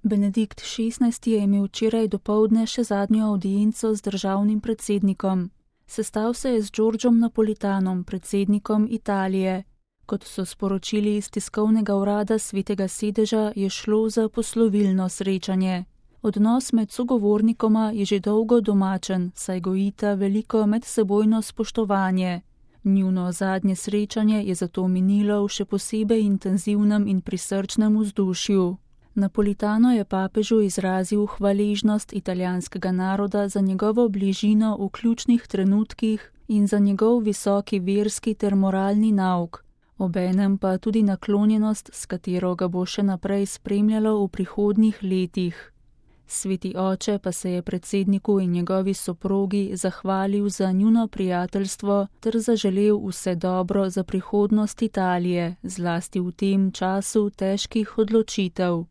Benedikt XVI. Je imel včeraj dopoldne še zadnjo avdienco z državnim predsednikom. Sestal se je z Giorgiom Napolitanom, predsednikom Italije. Kot so sporočili iz tiskovnega urada Svetega sedeža, je šlo za poslovilno srečanje. Odnos med sogovornikoma je že dolgo domačen, saj gojita veliko medsebojno spoštovanje. Njuno zadnje srečanje je zato minilo v še posebej intenzivnem in prisrčnem vzdušju. Napolitano je papežu izrazil hvaležnost italijanskega naroda za njegovo bližino v ključnih trenutkih in za njegov visoki verski ter moralni nauk, obenem pa tudi naklonjenost, s katero ga bo še naprej spremljalo v prihodnjih letih. Sveti oče pa se je predsedniku in njegovi soprogi zahvalil za njuno prijateljstvo ter zaželel vse dobro za prihodnost Italije, zlasti v tem času težkih odločitev.